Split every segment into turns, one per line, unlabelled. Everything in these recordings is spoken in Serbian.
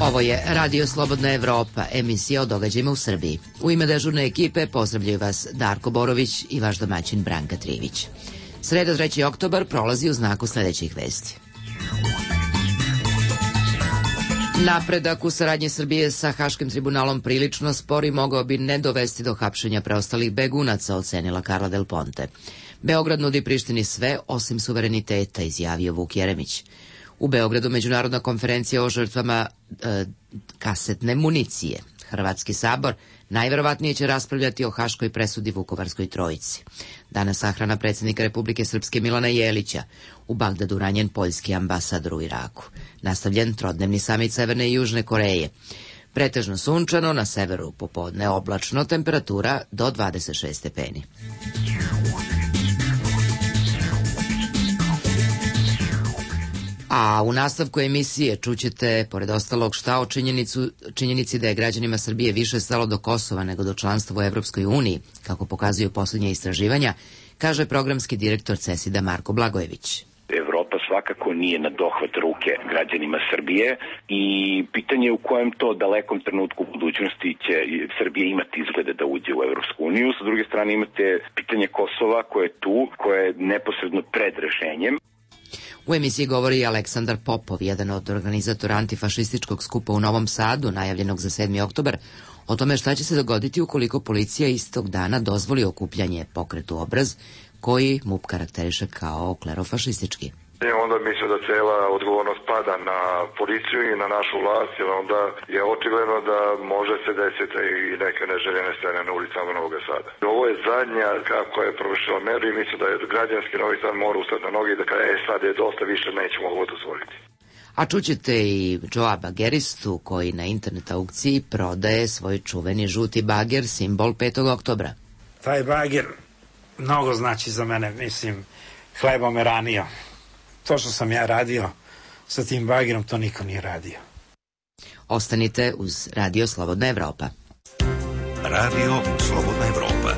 Ovo je Radio Slobodna Evropa, emisija o događajima u Srbiji. U ime dežurne ekipe pozdravljaju vas Darko Borović i vaš domaćin Branka Trivić. Sreda 3. oktobar prolazi u znaku sledećih vesti. Napredak u saradnji Srbije sa Haškim tribunalom prilično spori, mogao bi ne dovesti do hapšenja preostalih begunaca, ocenila Karla Del Ponte. Beograd nudi Prištini sve osim suvereniteta, izjavio Vuk Jeremić. U Beogradu međunarodna konferencija o žrtvama kasetne municije. Hrvatski sabor najverovatnije će raspravljati o haškoj presudi Vukovarskoj trojici. Danas sahrana predsjednika Republike Srpske Milana Jelića. U Bagdadu ranjen poljski ambasador u Iraku. Nastavljen trodnevni samit Severne i Južne Koreje. Pretežno sunčano, na severu popodne oblačno, temperatura do 26 stepeni. A u nastavku emisije čućete, pored ostalog, šta o činjenici da je građanima Srbije više stalo do Kosova nego do članstva u Evropskoj uniji, kako pokazuju posljednje istraživanja, kaže programski direktor CESID-a Marko Blagojević.
Evropa svakako nije na dohvat ruke građanima Srbije i pitanje je u kojem to dalekom trenutku u budućnosti će Srbija imati izglede da uđe u Evropsku uniju. Sa druge strane imate pitanje Kosova koje je tu, koje je neposredno pred rešenjem.
U emisiji govori i Aleksandar Popov, jedan od organizatora antifašističkog skupa u Novom Sadu, najavljenog za 7. oktobar, o tome šta će se dogoditi ukoliko policija istog dana dozvoli okupljanje Pokretu Obraz, koji MUP karakteriše kao klerofašistički.
I onda mislim da cela odgovornost pada na policiju i na našu vlast, jer onda je očigledno da može se desiti i neke neželjene scene na ulicama Novog Sada. Ovo je zadnja kako je provršila meru i mislim da je građanski Novi Sad mora ustati na noge i da kada sad je dosta više nećemo ovo dozvoliti.
A čućete i Joa Bageristu koji na internet aukciji prodaje svoj čuveni žuti bager, simbol 5. oktobra.
Taj bager mnogo znači za mene, mislim, hleba me ranio. To što sam ja radio sa tim bagerom, to niko nije radio.
Ostanite uz Radio Slobodna Evropa.
Radio Slobodna Evropa.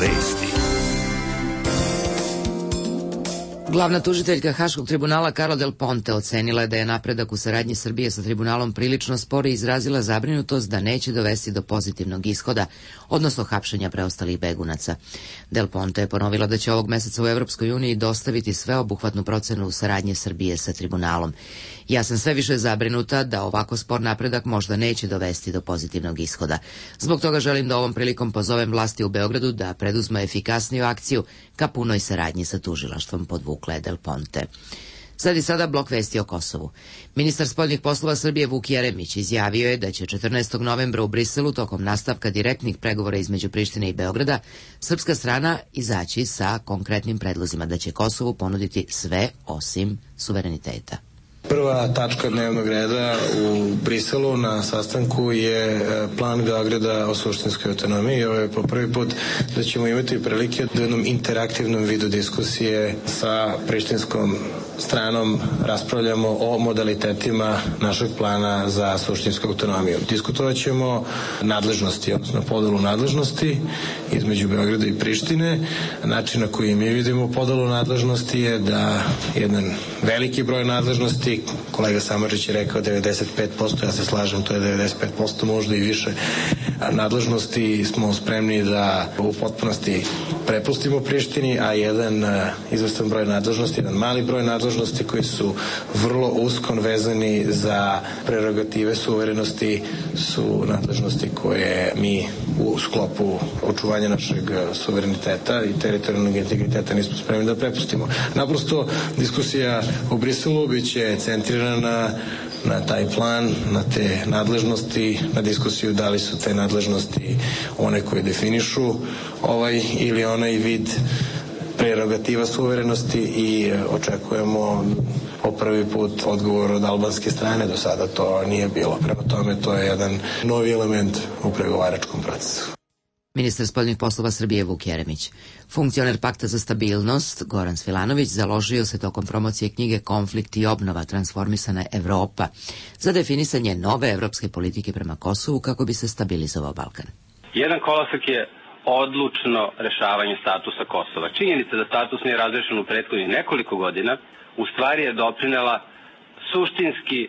Vesti.
Glavna tužiteljka Haškog tribunala Karla Del Ponte ocenila je da je napredak u saradnji Srbije sa tribunalom prilično spor i izrazila zabrinutost da neće dovesti do pozitivnog ishoda, odnosno hapšenja preostalih begunaca. Del Ponte je ponovila da će ovog meseca u Evropskoj uniji dostaviti sveobuhvatnu procenu u saradnje Srbije sa tribunalom. Ja sam sve više zabrinuta da ovako spor napredak možda neće dovesti do pozitivnog ishoda. Zbog toga želim da ovom prilikom pozovem vlasti u Beogradu da preduzme efikasniju akciju ka punoj saradnji sa tužilaštvom, podvukla je Del Ponte. Sada blok vesti o Kosovu. Ministar spoljnih poslova Srbije Vuk Jeremić izjavio je da će 14. novembra u Briselu tokom nastavka direktnih pregovora između Prištine i Beograda srpska strana izaći sa konkretnim predlozima da će Kosovu ponuditi sve osim suvereniteta.
Prva tačka dnevnog reda u Briselu na sastanku je plan Beograda o suštinskoj autonomiji. Ovo je po prvi put da ćemo imati prilike da u jednom interaktivnom vidu diskusije sa prištinskom stranom raspravljamo o modalitetima našeg plana za suštinsku autonomiju. Diskutovat ćemo nadležnosti, odnosno podelu nadležnosti između Beograda i Prištine. Način na koji mi vidimo podelu nadležnosti je da jedan veliki broj nadležnosti, kolega Samardžić je rekao 95%, ja se slažem, to je 95%, možda i više nadležnosti smo spremni da u potpunosti prepustimo Prištini, a jedan izvestan broj nadležnosti, jedan mali broj nadležnosti koji su vrlo usko vezani za prerogative suverenosti su nadležnosti koje mi u sklopu očuvanja našeg suvereniteta i teritorijalnog integriteta nismo spremni da prepustimo. Naprosto diskusija u Briselu biće centrirana na taj plan, na te nadležnosti, na diskusiju da li su te nadležnosti one koje definišu ovaj ili onaj vid prerogativa suverenosti i očekujemo po prvi put odgovor od albanske strane. Do sada to nije bilo. Prema tome to je jedan novi element u pregovaračkom procesu.
Ministar spoljnih poslova Srbije Vuk Jeremić. Funkcioner Pakta za stabilnost Goran Svilanović založio se tokom promocije knjige Konflikt i obnova, transformisana Evropa za definisanje nove evropske politike prema Kosovu kako bi se stabilizovao Balkan.
Jedan kolosek je odlučno rešavanje statusa Kosova. Činjenica da status nije razrešen u prethodnih nekoliko godina u stvari je doprinela suštinski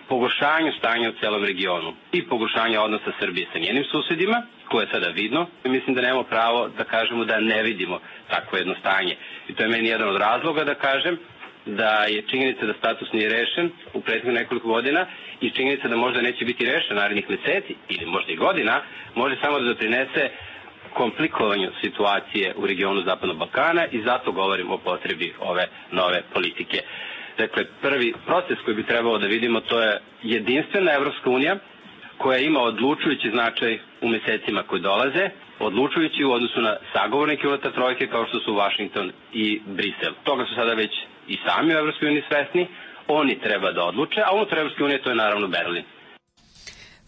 pogoršanju stanja u celom regionu i pogoršanja odnosa Srbije sa njenim susedima, koje je sada vidno. Mislim da nemamo pravo da kažemo da ne vidimo takvo jedno stanje. I to je meni jedan od razloga da kažem da je činjenica da status nije rešen u prethodnih nekoliko godina i činjenica da možda neće biti rešen narednih meseci ili možda i godina, može samo da doprinese komplikovanju situacije u regionu Zapadnog Balkana i zato govorim o potrebi ove nove politike. Dakle, prvi proces koji bi trebalo da vidimo to je jedinstvena Evropska unija koja ima odlučujući značaj u mesecima koji dolaze, odlučujući u odnosu na sagovornike unutar trojke kao što su Washington i Brisel. Toga su sada već i sami u Evropskoj uniji svesni, oni treba da odluče, a unutar Evropske unije to je naravno Berlin.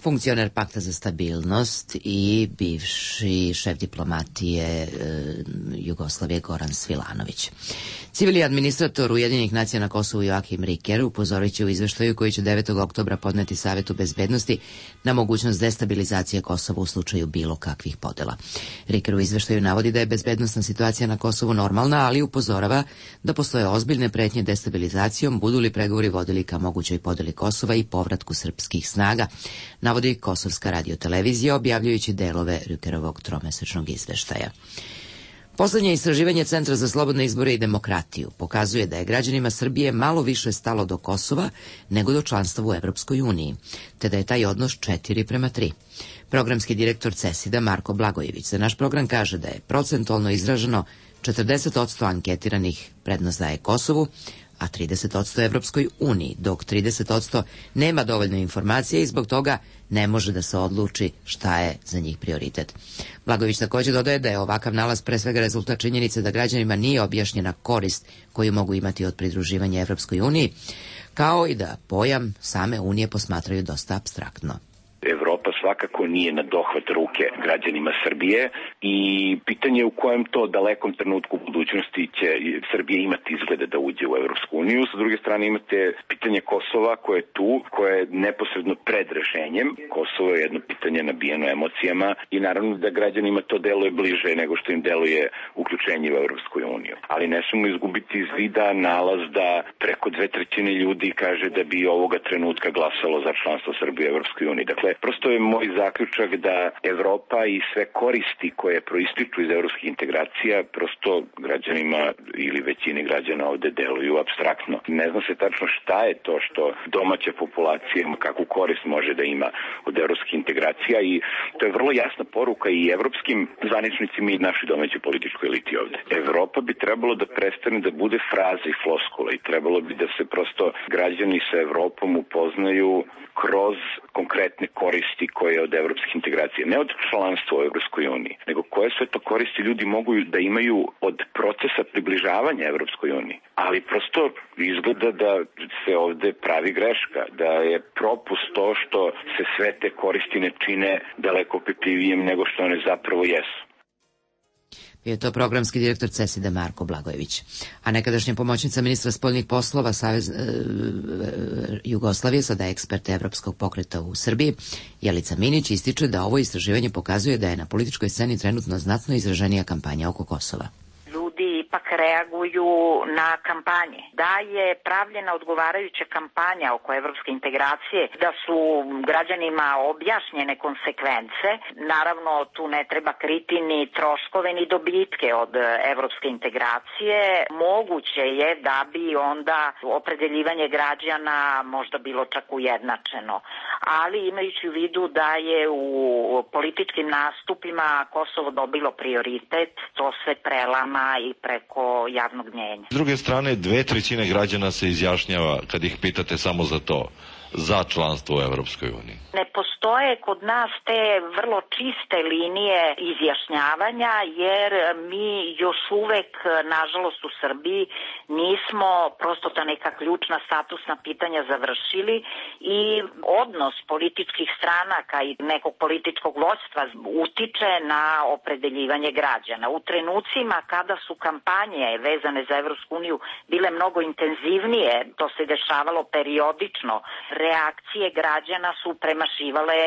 Funkcioner Pakta za stabilnost i bivši šef diplomatije Jugoslavije Goran Svilanović. Civilni administrator Ujedinjenih nacija na Kosovu Joachim Riker upozorit će u izveštaju koji će 9. oktobra podneti Savetu bezbednosti na mogućnost destabilizacije Kosova u slučaju bilo kakvih podela. Riker u izveštaju navodi da je bezbednosna situacija na Kosovu normalna, ali upozorava da postoje ozbiljne pretnje destabilizacijom budu li pregovori vodili ka mogućoj podeli Kosova i povratku srpskih snaga, navodi Kosovska radiotelevizija objavljujući delove Rikerovog tromesečnog izveštaja. Poslednje istraživanje Centra za slobodne izbore i demokratiju pokazuje da je građanima Srbije malo više stalo do Kosova nego do članstva u Evropskoj uniji, te da je taj odnos 4:3. Programski direktor CESID-a Marko Blagojević za naš program kaže da je procentualno izraženo 40% anketiranih prednost daje Kosovu, a 30% Evropskoj uniji, dok 30% nema dovoljno informacije i zbog toga ne može da se odluči šta je za njih prioritet. Blagojević također dodaje da je ovakav nalaz pre svega rezultat činjenice da građanima nije objašnjena korist koju mogu imati od pridruživanja Evropskoj uniji, kao i da pojam same unije posmatraju dosta apstraktno.
Evropa svakako nije na dohvat ruke građanima Srbije i pitanje je u kojem to dalekom trenutku u budućnosti će Srbija imati izglede da uđe u Evropsku uniju. Sa druge strane imate pitanje Kosova koje je tu, koje je neposredno pred rešenjem. Kosovo je jedno pitanje nabijeno emocijama i naravno da građanima to deluje bliže nego što im deluje uključenje u Evropsku uniju. Ali ne smemo izgubiti iz vida nalaz da preko 2/3 ljudi kaže da bi ovoga trenutka glasalo za članstvo Srbije u Evropskoj uniji. Dakle, prosto je moj zaključak da Evropa i sve koristi koje proističu iz evropskih integracija prosto građanima ili većini građana ovde deluju apstraktno. Ne zna se tačno šta je to što domaća populacija, kakvu korist može da ima od evropskih integracija i to je vrlo jasna poruka i evropskim zvaničnicima i našoj domaćoj političkoj eliti ovde. Evropa bi trebalo da prestane da bude fraza i floskula i trebalo bi da se prosto građani sa Evropom upoznaju kroz konkretne koristi koje od evropskih integracija, ne od članstva u Evropskoj uniji, nego koje sve to koristi ljudi mogu da imaju od procesa približavanja Evropskoj uniji. Ali prosto izgleda da se ovde pravi greška, da je propust to što se sve te koristi ne čine daleko opipljivijim nego što one zapravo jesu.
Bio je to programski direktor CESID-a Marko Blagojević. A nekadašnja pomoćnica ministra spoljnih poslova Jugoslavije, sada ekspert Evropskog pokreta u Srbiji, Jelica Minić, ističe da ovo istraživanje pokazuje da je na političkoj sceni trenutno znatno izraženija kampanja oko Kosova.
Ipak reaguju na kampanje. Da je pravljena odgovarajuća kampanja oko evropske integracije, da su građanima objašnjene konsekvence, naravno tu ne treba kriti ni troškove ni dobitke od evropske integracije, moguće je da bi onda opredeljivanje građana možda bilo čak ujednačeno. Ali imajući u vidu da je u političkim nastupima Kosovo dobilo prioritet, to se prelama i preko javnog mnjenja.
S druge strane, 2/3 građana se izjašnjava kad ih pitate samo za to. za članstvo u Evropskoj uniji?
Ne postoje kod nas te vrlo čiste linije izjašnjavanja, jer mi još uvek, nažalost u Srbiji, nismo prosto ta neka ključna statusna pitanja završili i odnos političkih stranaka i nekog političkog vođstva utiče na opredeljivanje građana. U trenucima kada su kampanje vezane za Evropsku uniju bile mnogo intenzivnije, to se dešavalo periodično, reakcije građana su premašivale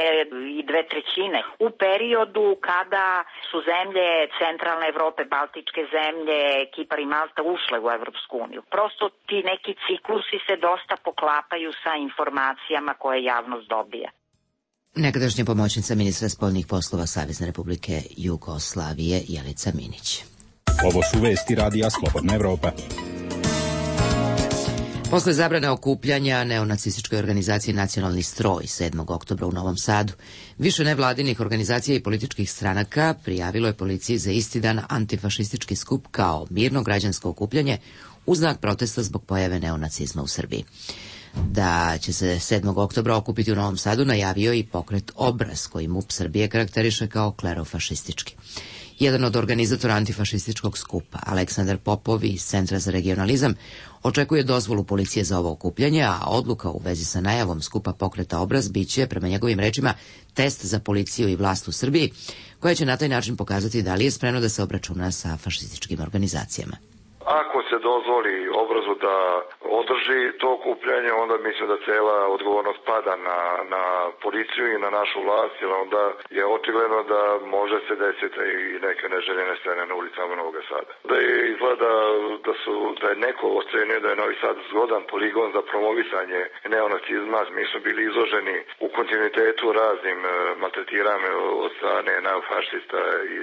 i 2/3. U periodu kada su zemlje centralne Evrope, baltičke zemlje, Kipar i Malta ušle u Evropsku uniju. Prosto ti neki ciklusi se dosta poklapaju sa informacijama koje javnost dobija.
Nekadašnja pomoćnica ministra spoljnih poslova Savezne Republike Jugoslavije Jelica Minić.
Ovo su vesti radija Slobodna Evropa.
Posle zabrane okupljanja neonacističkoj organizaciji Nacionalni stroj 7. oktobra u Novom Sadu, više nevladinih organizacija i političkih stranaka prijavilo je policiji za isti dan antifašistički skup kao mirno građansko okupljanje u znak protesta zbog pojave neonacizma u Srbiji. Da će se 7. oktobra okupiti u Novom Sadu najavio i pokret Obraz, koji MUP Srbije karakteriše kao klerofašistički. Jedan od organizatora antifašističkog skupa, Aleksandar Popov iz Centra za regionalizam, očekuje dozvolu policije za ovo okupljanje, a odluka u vezi sa najavom skupa pokreta Obraz biće, prema njegovim rečima, test za policiju i vlast u Srbiji, koja će na taj način pokazati da li je spremno da se obračuna sa fašističkim organizacijama.
Ako se dozvoli Obrazu da održi to okupljanje, onda mislim da cela odgovornost pada na policiju i na našu vlast, jer onda je očigledno da može se desiti i neke neželjene scene na ulicama Novog Sada. Da je izgleda da je neko ocenio da je Novi Sad zgodan poligon za promovisanje neonacizma. Mi smo bili izloženi u kontinuitetu raznim maltretiranjima od strane neofašista i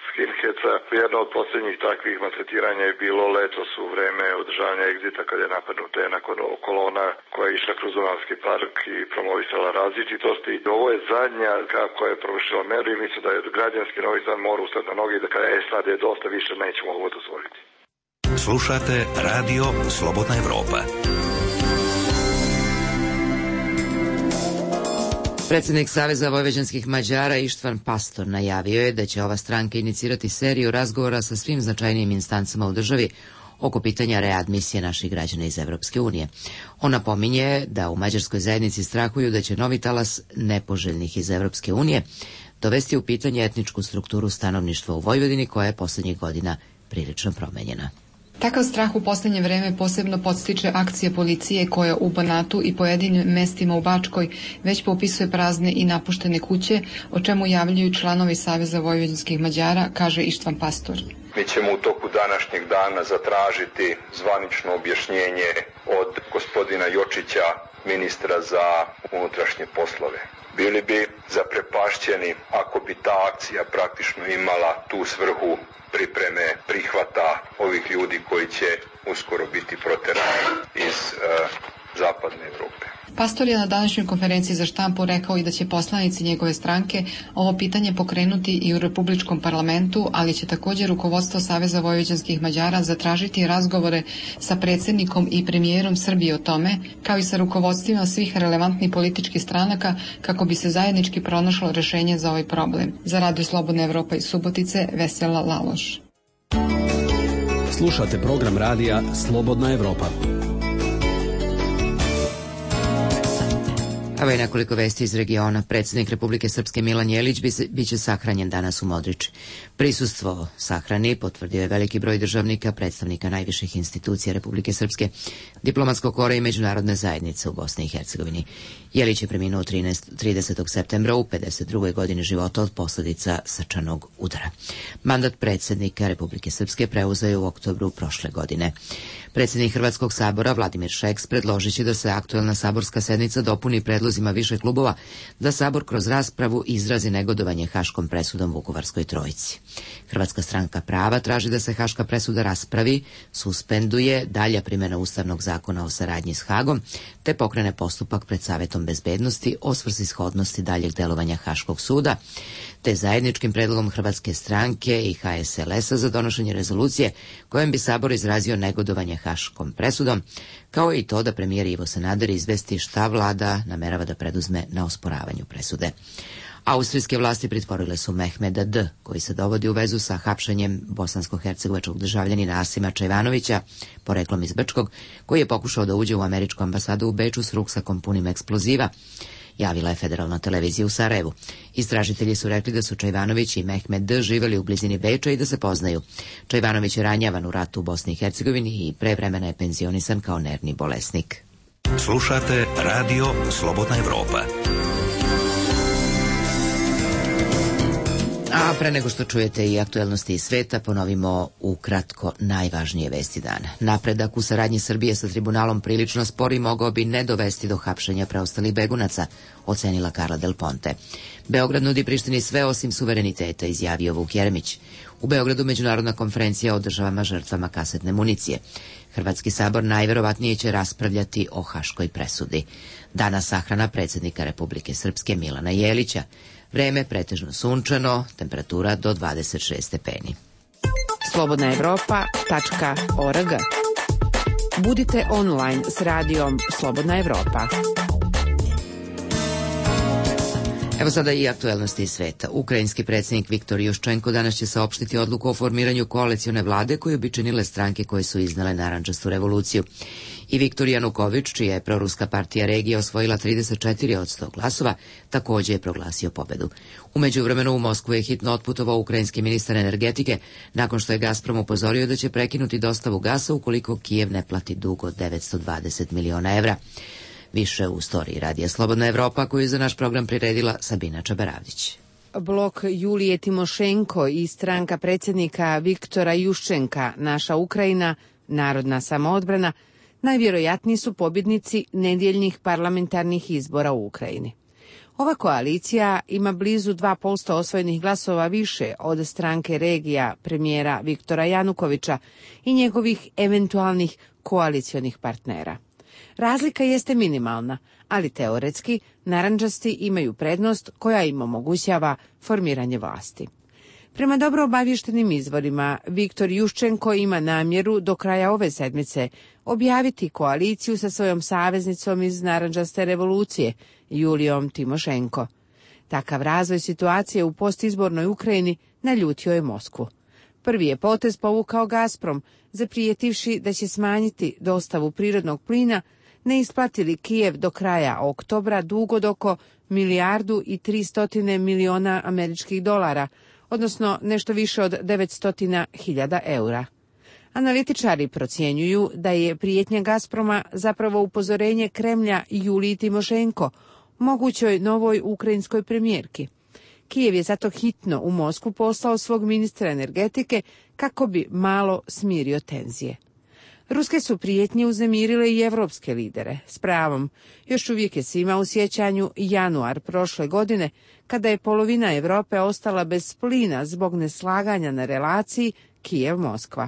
skinheca. Jedno od posljednjih takvih maltretiranja je bilo letos u vreme održavanja egzita kada je napadnuta jedna kolona koja je išla kroz Dunavski park i promovisala različitosti. Ovo je zadnja kako je provršila meru i mislim da je građanski Novi Sad mora ustati na noge i da kada sad je dosta više nećemo ovo dozvoliti.
Slušate Radio Slobodna Evropa.
Predsjednik Saveza vojvođanskih Mađara Ištvan Pastor najavio je da će ova stranka inicirati seriju razgovora sa svim značajnijim instancama u državi oko pitanja readmisije naših građana iz Evropske unije. On napominje da u mađarskoj zajednici strahuju da će novi talas nepoželjnih iz Evropske unije dovesti u pitanje etničku strukturu stanovništva u Vojvodini, koja je poslednjih godina prilično promenjena.
Takav strah u poslednje vreme posebno podstiče akcija policije koja u Banatu i pojedinim mestima u Bačkoj već popisuje prazne i napuštene kuće, o čemu javljaju članovi Saveza vojvođanskih Mađara, kaže Ištvan Pastor.
Mi ćemo u toku današnjeg dana zatražiti zvanično objašnjenje od gospodina Jočića, ministra za unutrašnje poslove. Bili bi zaprepašćeni ako bi ta akcija praktično imala tu svrhu pripreme prihvata ovih ljudi koji će uskoro biti proterani iz zapadne Evrope.
Pastor je na današnjoj konferenciji za štampu rekao i da će poslanici njegove stranke ovo pitanje pokrenuti i u Republičkom parlamentu, ali će također rukovodstvo Saveza vojvođanskih Mađara zatražiti razgovore sa predsjednikom i premijerom Srbije o tome, kao i sa rukovodstvima svih relevantnih političkih stranaka, kako bi se zajednički pronašlo rešenje za ovaj problem. Za Radio Slobodna Evropa iz Subotice, Vesela Laloš.
Slušate program radija Slobodna Evropa.
Evo je nekoliko vesti iz regiona. Predsjednik Republike Srpske Milan Jelić biće sahranjen danas u Modriči. Prisustvo sahrani potvrdio je veliki broj državnika, predstavnika najviših institucija Republike Srpske, diplomatskog kora i međunarodne zajednice u Bosni i Hercegovini. Jelić je preminuo 30. septembra u 52. godini života od posljedica srčanog udara. Mandat predsjednika Republike Srpske preuzeo je u oktobru prošle godine. Predsjednik Hrvatskog sabora Vladimir Šeks predložit će da se aktuelna saborska sednica dopuni predlozima predlozima više klubova da Sabor kroz raspravu izrazi negodovanje haškom presudom Vukovarskoj trojici. Hrvatska stranka prava traži da se haška presuda raspravi, suspenduje dalja primjena Ustavnog zakona o saradnji s Hagom, te pokrene postupak pred Savetom bezbednosti o svrsishodnosti daljeg delovanja Haškog suda, te zajedničkim predlogom Hrvatske stranke i HSLS-a za donošenje rezolucije kojom bi Sabor izrazio negodovanje haškom presudom, kao i to da premijer Ivo Sanader izvesti šta vlada namerava da preduzme na osporavanju presude. Austrijske vlasti pritvorile su Mehmeda D., koji se dovodi u vezu sa hapšenjem bosansko-hercegovačkog državljanina Asima Čajvanovića, poreklom iz Brčkog, koji je pokušao da uđe u američku ambasadu u Beču s ruksakom punim eksploziva, javila je Federalna televizija u Sarajevu. Istražitelji su rekli da su Čajvanović i Mehmed D. živeli u blizini Beča i da se poznaju. Čajvanović je ranjavan u ratu u Bosni i Hercegovini i pre vremena je penzionisan kao nervni bolesnik.
Slušate Radio Slobodna Evropa.
A pre nego što čujete i aktuelnosti iz sveta, ponovimo ukratko najvažnije vesti dana. Napredak u saradnji Srbije sa tribunalom prilično spori mogao bi ne dovesti do hapšenja preostalih begunaca, ocenila Carla Del Ponte. Beograd nudi Prištini sve osim suvereniteta, izjavio Vuk Jeremić. U Beogradu međunarodna konferencija o državama žrtvama kasetne municije. Hrvatski sabor najverovatnije će raspravljati o haškoj presudi. Danas sahrana predsjednika Republike Srpske Milana Jelića. Vreme pretežno sunčano, temperatura do 26 stepeni.
slobodnaevropa.org. Budite online s radijom Slobodna Evropa.
Evo sada i aktuelnosti iz sveta. Ukrajinski predsjednik Viktor Juščenko danas će saopštiti odluku o formiranju koalicione vlade koju bi činile stranke koje su iznale narandžastu revoluciju. I Viktor Januković, čija je proruska partija regija osvojila 34 od 100 glasova, također je proglasio pobedu. U međuvremenu u Moskvu je hitno otputovao ukrajinski ministar energetike nakon što je Gazprom upozorio da će prekinuti dostavu gasa ukoliko Kijev ne plati dug od 920 miliona evra. Više u storiji Radija Slobodna Evropa koju je za naš program priredila Sabina Čabaravdić.
Blok Julije Timošenko i stranka predsjednika Viktora Juščenka, Naša Ukrajina, Narodna samoodbrana, najvjerojatniji su pobjednici nedjeljnih parlamentarnih izbora u Ukrajini. Ova koalicija ima blizu 2% osvojenih glasova više od stranke regija premijera Viktora Janukovića i njegovih eventualnih koalicionih partnera. Razlika jeste minimalna, ali teoretski narandžasti imaju prednost koja im omogućava formiranje vlasti. Prema dobro obavještenim izvorima, Viktor Juščenko ima namjeru do kraja ove sedmice objaviti koaliciju sa svojom saveznicom iz narandžaste revolucije, Julijom Timošenko. Takav razvoj situacije u postizbornoj Ukrajini naljutio je Moskvu. Prvi je potez povukao Gazprom, zaprijetivši da će smanjiti dostavu prirodnog plina, ne isplatili Kijev do kraja oktobra dug od oko $1,3 milijardi američkih dolara, odnosno nešto više od 900.000 eura. Analitičari procjenjuju da je prijetnja Gazproma zapravo upozorenje Kremlja Juliji Timošenko, mogućoj novoj ukrajinskoj premijerki. Kijev je zato hitno u Moskvu poslao svog ministra energetike kako bi malo smirio tenzije. Ruske su prijetnje uznemirile i evropske lidere. S pravom, još uvijek je svima u sjećanju januar prošle godine, kada je polovina Europe ostala bez plina zbog neslaganja na relaciji Kijev-Moskva.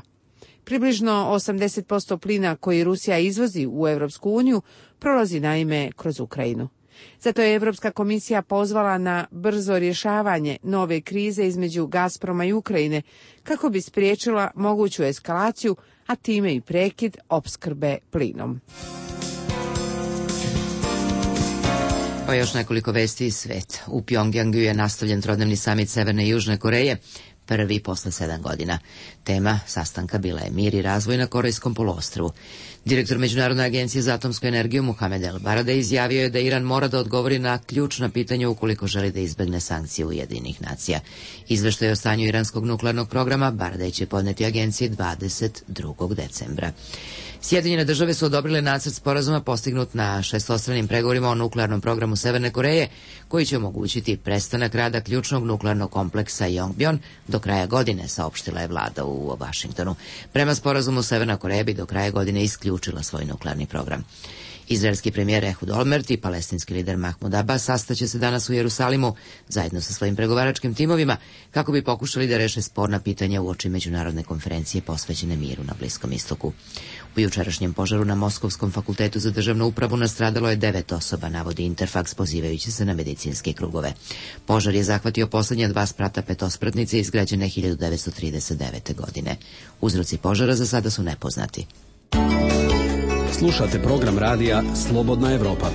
Približno 80% plina koji Rusija izvozi u Europsku uniju prolazi naime kroz Ukrajinu. Zato je Europska komisija pozvala na brzo rješavanje nove krize između Gazproma i Ukrajine kako bi spriječila moguću eskalaciju, a time i prekid opskrbe plinom.
Pa još nekoliko vesti iz sveta. U Pjongjangu je nastavljen trodnevni samit Severne i Južne Koreje, prvi posle 7 godina. Tema sastanka bila je mir i razvoj na Korejskom poluostrvu. Direktor Međunarodne agencije za atomsku energiju Mohamed El Baradei izjavio je da Iran mora da odgovori na ključna pitanja ukoliko želi da izbegne sankcije Ujedinjenih nacija. Izveštaj o stanju iranskog nuklearnog programa Baradei će podneti agenciji 22. decembra. Sjedinjene države su odobrile nacrt sporazuma postignut na šestostranim pregovorima o nuklearnom programu Severne Koreje, koji će omogućiti prestanak rada ključnog nuklearnog kompleksa Yongbyon do kraja godine, saopštila je vlada u Vašingtonu. Prema sporazumu Severna Koreja bi do kraja godine isključila svoj nuklearni program. Izraelski premijer Ehud Olmert i palestinski lider Mahmud Abbas sastaće se danas u Jerusalimu zajedno sa svojim pregovaračkim timovima kako bi pokušali da reše sporna pitanja uoči međunarodne konferencije posvećene miru na Bliskom istoku. U jučerašnjem požaru na Moskovskom fakultetu za državnu upravu nastradalo je 9 osoba, navodi Interfax pozivajući se na medicinske krugove. Požar je zahvatio poslednja 2 sprata petospratnice izgrađene 1939. godine. Uzroci požara za sada su nepoznati.
Slušate program radija Slobodna Evropa.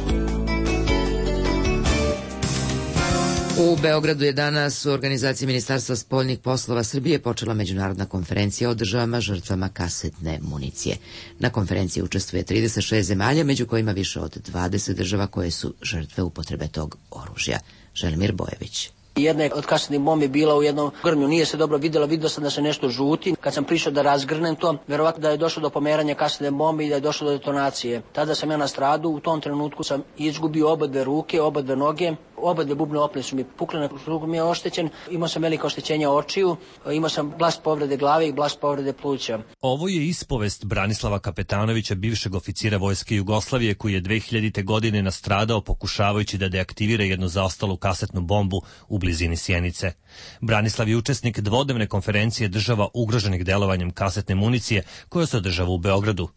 U Beogradu je danas u organizaciji Ministarstva spoljnih poslova Srbije počela međunarodna konferencija o državama žrtvama kasetne municije. Na konferenciji učestvuje 36 zemalja, među kojima više od 20 država koje su žrtve upotrebe tog oružja. Želimir Bojević.
Jedna od kasetnih bombi bila u jednom grmlju, nije se dobro vidjela, vidio sam da se nešto žuti. Kad sam prišao da razgrnem to, verovatno da je došlo do pomeranja kasetne bombe i da je došlo do detonacije. Tada sam ja nastradao, u tom trenutku sam izgubio obadve ruke, obadve noge, obadve bubne opne su mi pukle, na ruku mi je oštećen, imao sam veliko oštećenje očiju, imao sam blast povrede glave i blast povrede pluća.
Ovo je ispovest Branislava Kapetanovića, bivšeg oficira Vojske Jugoslavije, koji je 2000. godine nastradao pokušavajući da deaktivira jednu zaostalu kasetnu bombu u blizini Sjenice. Branislav je učesnik dvodnevne konferencije država ugroženih delovanjem kasetne municije koja se održava u Beogradu.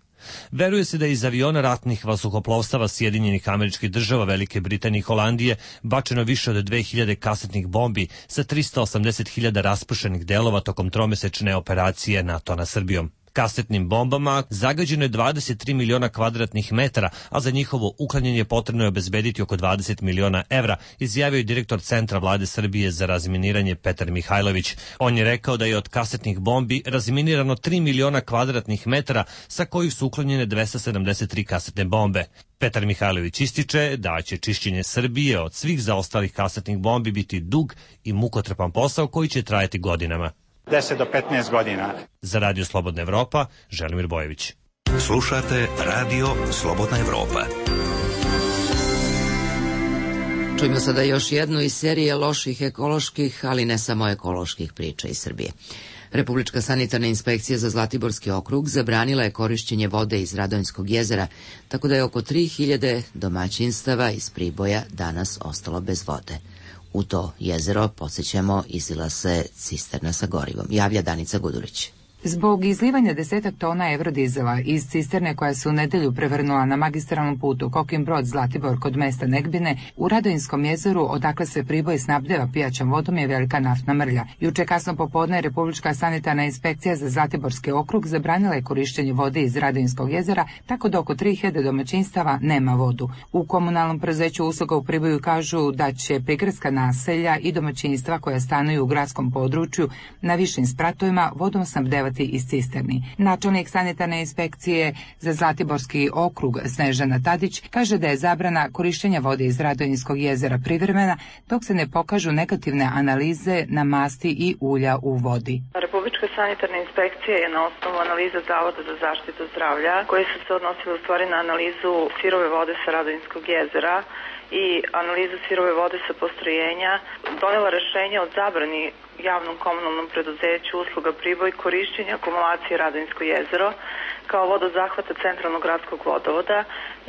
Veruje se da je iz aviona ratnih vazduhoplovstava Sjedinjenih Američkih Država, Velike Britanije i Holandije bačeno više od 2000 kasetnih bombi sa 380.000 raspršenih delova tokom tromesečne operacije NATO na Srbijom. Kasetnim bombama zagađeno je 23 miliona kvadratnih metara, a za njihovo uklanjanje potrebno je obezbediti oko 20 miliona evra, izjavio je direktor Centra vlade Srbije za razminiranje Petar Mihajlović. On je rekao da je od kasetnih bombi razminirano 3 miliona kvadratnih metara, sa kojih su uklonjene 273 kasetne bombe. Petar Mihajlović ističe da će čišćenje Srbije od svih zaostalih kasetnih bombi biti dug i mukotrpan posao koji će trajati godinama.
10 do 15 godina.
Za Radio Slobodna Evropa, Želimir Bojević.
Slušate Radio Slobodna Evropa.
Čujemo sada još jednu iz serije loših ekoloških, ali ne samo ekoloških priča iz Srbije. Republička sanitarna inspekcija za Zlatiborski okrug zabranila je korišćenje vode iz Radonjskog jezera, tako da je oko 3000 domaćinstava iz Priboja danas ostalo bez vode. U to jezero, podsjećamo, izlila se cisterna sa gorivom. Javlja Danica Gudurić.
Zbog izlivanja 10 tona evrodizela iz cisterne koja se u nedelju prevrnula na magistralnom putu Kokin Brod Zlatibor kod mesta Negbine, u Radonjskom jezeru, odakle se Priboj snabdeva pijaćom vodom, je velika naftna mrlja. Juče kasno popodne Republička sanitarna inspekcija za Zlatiborski okrug zabranila je korišćenje vode iz Radonjskog jezera, tako da oko 3000 domaćinstava nema vodu. U komunalnom preduzeću usluga u Priboju kažu da će prigradska naselja i domaćinstva koja stanuju u gradskom području na višim spratovima vodom snabdevati iz cisterni. Načelnik sanitarne inspekcije za Zlatiborski okrug Snežana Tadić kaže da je zabrana korišćenja vode iz Radonjskog jezera privremena dok se ne pokažu negativne analize na masti i ulja u vodi.
Republička sanitarna inspekcija je na osnovu analiza Zavoda za zaštitu zdravlja, koje su se odnosile u stvari na analizu sirove vode sa Radonjskog jezera i analizu sirove vode sa postrojenja, donela rešenje o zabrani javnom komunalnom preduzeću usluga Priboj korišćenja akumulacije Radonjsko jezero kao vodozahvata centralnog gradskog vodovoda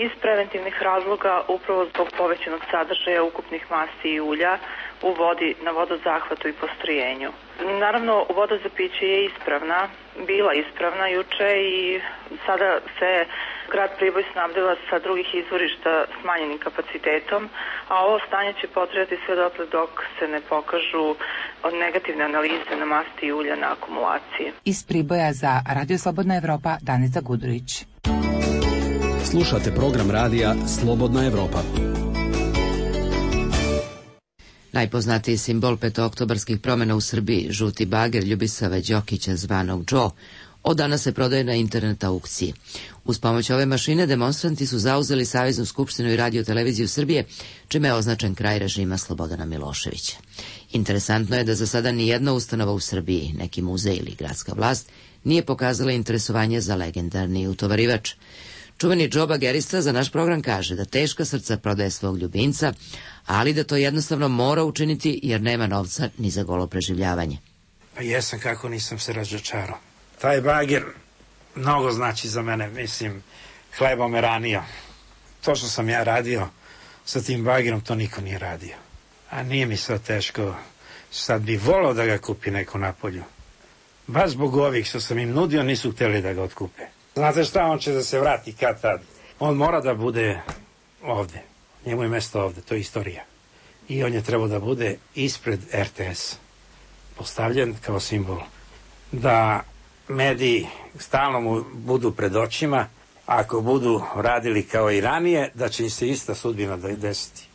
iz preventivnih razloga upravo zbog povećanog sadržaja ukupnih masti i ulja u vodi na vodozahvatu i postrojenju. Naravno, voda za piće je bila ispravna juče i sada se grad Priboj snabdeva sa drugih izvorišta smanjenim kapacitetom, a ovo stanje će potrajati sve dotle dok se ne pokažu negativne analize na masti i ulja na akumulaciji.
Iz Priboja za Radio Slobodna Evropa, Danica Gudurić.
Slušate program radija Slobodna Evropa.
Najpoznatiji simbol petooktobarskih promjena u Srbiji, žuti bager Ljubisava Đokića zvanog Joe, od danas se prodaje na internet aukciji. Uz pomoć ove mašine demonstranti su zauzeli Saveznu skupštinu i Radio-televiziju Srbije, čime je označen kraj režima Slobodana Miloševića. Interesantno je da za sada nijedna ustanova u Srbiji, neki muzej ili gradska vlast, nije pokazala interesovanje za legendarni utovarivač. Čuveni Joe bagerista za naš program kaže da teška srca prodaje svog ljubimca, ali da to jednostavno mora učiniti jer nema novca ni za golo preživljavanje.
Pa jesam, kako nisam se razočarao. Taj bager mnogo znači za mene, mislim, hleba me ranio. To što sam ja radio sa tim bagerom, to niko nije radio. A nije mi sad teško. Sad bi volao da ga kupi neko napolju. Baš zbog ovih što sam im nudio, nisu hteli da ga otkupe. Znate šta, on će da se vrati kad tad. On mora da bude ovde. Njemu je mesto ovde, to je istorija. I on je trebao da bude ispred RTS. Postavljen kao simbol. Da mediji stalno mu budu pred očima, ako budu radili kao i ranije, da će im se ista sudbina desiti.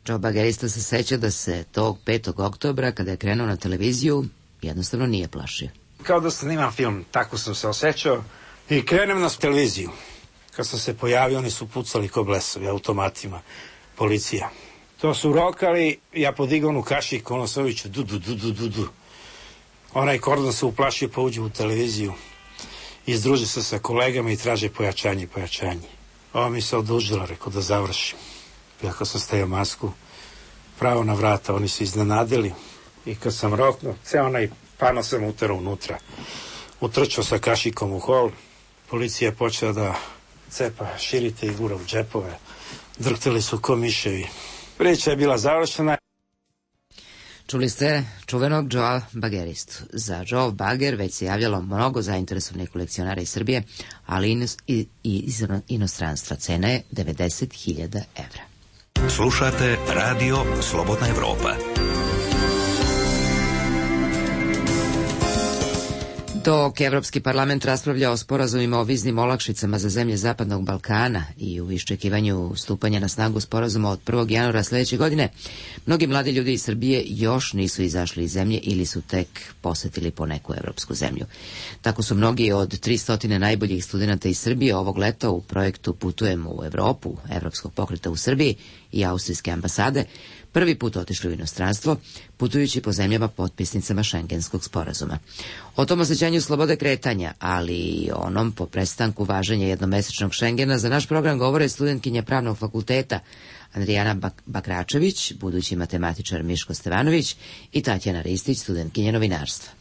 Joe Bagerista se seća da se tog 5. oktobra, kada je krenuo na televiziju, jednostavno nije plašio.
Kao da snimam film, tako sam se osjećao i krenem na televiziju. Kad sam se pojavio, oni su pucali ko blesovi, automatima, policija. To su rokali, ja podigao onu kašiku, ono se oviću, du. Onaj kordon se uplašio, pa uđe u televiziju. Izdruži se sa kolegama i traže pojačanje. Ova mi se odužila, rekao da završim. Iako sam stavio masku, pravo na vrata, oni su iznenadili. I kad sam roknuo, ceo onaj pano sam uterao unutra. Utrčao sa kašikom u hol, policija je počela da cepa širite i gura u džepove. Drhtali su ko miševi. Priča je bila završena.
Čuli ste čuvenog Joea Bageristu. Za Joe Bager već se javljalo mnogo zainteresovanih kolekcionara iz Srbije, ali i iz inostranstva. Cena je 90.000 evra.
Slušate Radio Slobodna Evropa.
Dok Evropski parlament raspravlja o sporazumima o viznim olakšicama za zemlje Zapadnog Balkana i u iščekivanju stupanja na snagu sporazuma od 1. januara sledeće godine, mnogi mladi ljudi iz Srbije još nisu izašli iz zemlje ili su tek posetili po neku evropsku zemlju. Tako su mnogi od 300 najboljih studenta iz Srbije ovog leta u projektu Putujemo u Evropu, Evropskog pokreta u Srbiji i Austrijske ambasade, prvi put otišli u inostranstvo, putujući po zemljama potpisnicama Šengenskog sporazuma. O tom osjećanju slobode kretanja, ali i onom po prestanku važenja jednomesečnog Šengena, za naš program govore studentkinja Pravnog fakulteta Andrijana Bakračević, budući matematičar Miško Stevanović i Tatjana Ristić, studentkinja novinarstva.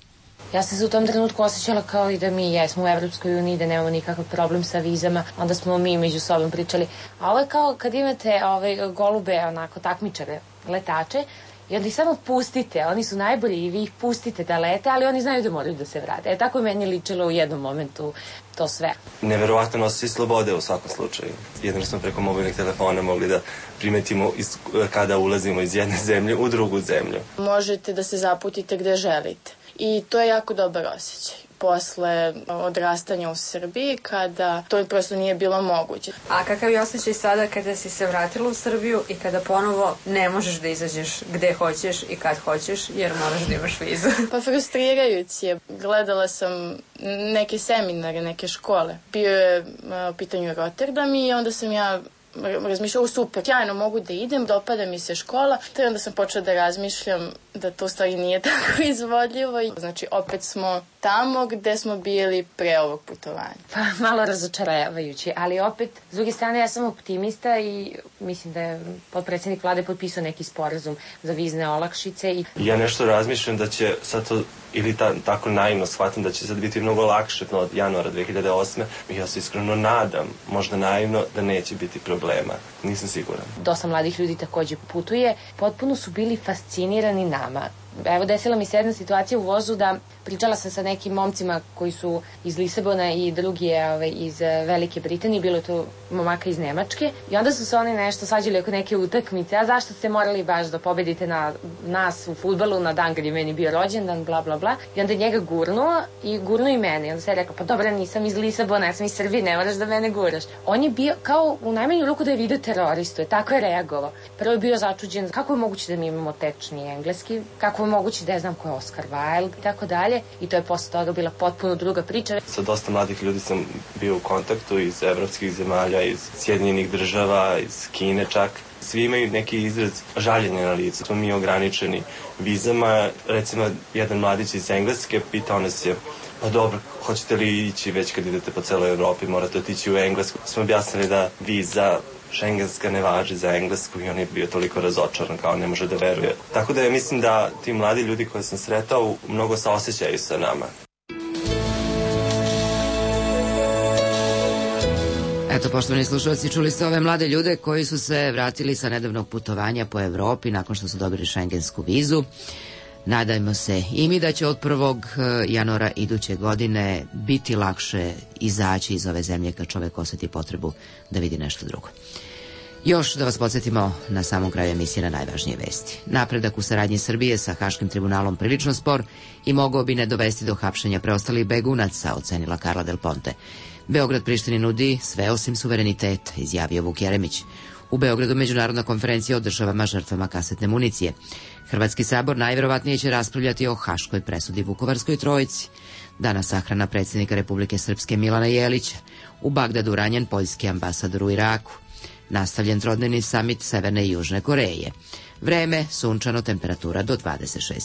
Ja sam se u tom trenutku osjećala kao i da mi jesmo u Evropskoj uniji, da nemamo nikakav problem sa vizama, onda smo mi među sobom pričali. A ovo je kao kad imate golube, onako, takmičare, letače, i onda ih samo pustite, oni su najbolji i vi ih pustite da lete, ali oni znaju da moraju da se vrate. Tako je meni ličilo u jednom momentu to sve.
Neverovatno osjećaj slobode u svakom slučaju. Jedno smo preko mobilnih telefona mogli da primetimo kada ulazimo iz jedne zemlje u drugu zemlju.
Možete da se zaputite gde želite i to je jako dobar osjećaj. Posle odrastanja u Srbiji, kada to prosto nije bilo moguće.
A kakav je osjećaj sada kada si se vratila u Srbiju i kada ponovo ne možeš da izađeš gde hoćeš i kad hoćeš, jer moraš da imaš vizu?
Pa frustrirajući je. Gledala sam neke seminare, neke škole. Bio je u pitanju Rotterdam i onda sam ja razmišljala, super, sjajno mogu da idem, dopada mi se škola, te onda sam počela da razmišljam da to stvari nije tako izvodljivo. Znači, opet smo tamo gde smo bili pre ovog putovanja.
Pa, malo razočaravajući, ali opet, s druge strane, ja sam optimista i mislim da je potpredsjednik vlade potpisao neki sporazum za vizne olakšice.
Ja nešto razmišljam da će sad to, ili tako naivno shvatim, da će sad biti mnogo lakše od januara 2008. Ja se iskreno nadam, možda naivno, da neće biti problema. Nisam siguran.
Dosta mladih ljudi takođe putuje. Potpuno su bili fascinirani nama. Evo, desila mi se jedna situacija u vozu da pričala sam sa nekim momcima koji su iz Lisabona i drugi je iz Velike Britanije, bilo je to momaka iz Nemačke i onda su se oni nešto svađali oko neke utakmice, a zašto ste morali baš da pobedite na nas u fudbalu na dan kad je meni bio rođendan, bla bla bla, i onda je njega gurnuo i mene i onda se je rekao, pa dobro, nisam iz Lisabona, ja sam iz Srbije, ne moraš da mene guraš. On je bio kao u najmanju ruku da je video teroristu, je tako je reagovao. Prvo je bio začuđen kako je moguće da mi imamo tečni engleski, kako je moguće da je znam ko je Oscar Wilde i tako dalje. I to je posle toga bila potpuno druga priča.
Sa dosta mladih ljudi sam bio u kontaktu iz evropskih zemalja, iz Sjedinjenih država, iz Kine čak. Svi imaju neki izraz žaljenja na licu. Smo mi ograničeni vizama. Recimo, jedan mladić iz Engleske pitao nas je, pa dobro, hoćete li ići već kad idete po celoj Evropi, morate otići u Englesku. Smo objasnili da viza šengenska ne važi za Englesku i on je bio toliko razočaran kao ne može da veruje. Tako da ja mislim da ti mladi ljudi koje sam sretao mnogo saosećaju sa nama.
Eto, poštovani slušalci, čuli ste ove mlade ljude koji su se vratili sa nedavnog putovanja po Evropi nakon što su dobili šengensku vizu. Nadajmo se i mi da će od 1. januara iduće godine biti lakše izaći iz ove zemlje kad čovek osjeti potrebu da vidi nešto drugo. Još da vas podsjetimo na samom kraju emisije na najvažnije vesti. Napredak u saradnji Srbije sa Haškim tribunalom prilično spor i mogao bi ne dovesti do hapšenja preostalih begunaca, ocenila Carla Del Ponte. Beograd Prištini nudi sve osim suvereniteta, izjavio Vuk Jeremić. U Beogradu međunarodna konferencija o državama žrtvama kasetne municije. Hrvatski sabor najverovatnije će raspravljati o haškoj presudi Vukovarskoj trojici. Danas sahrana predsjednika Republike Srpske Milana Jelića. U Bagdadu ranjen poljski ambasador u Iraku. Nastavljen trodnevni samit Severne i Južne Koreje. Vreme, sunčano, temperatura do 26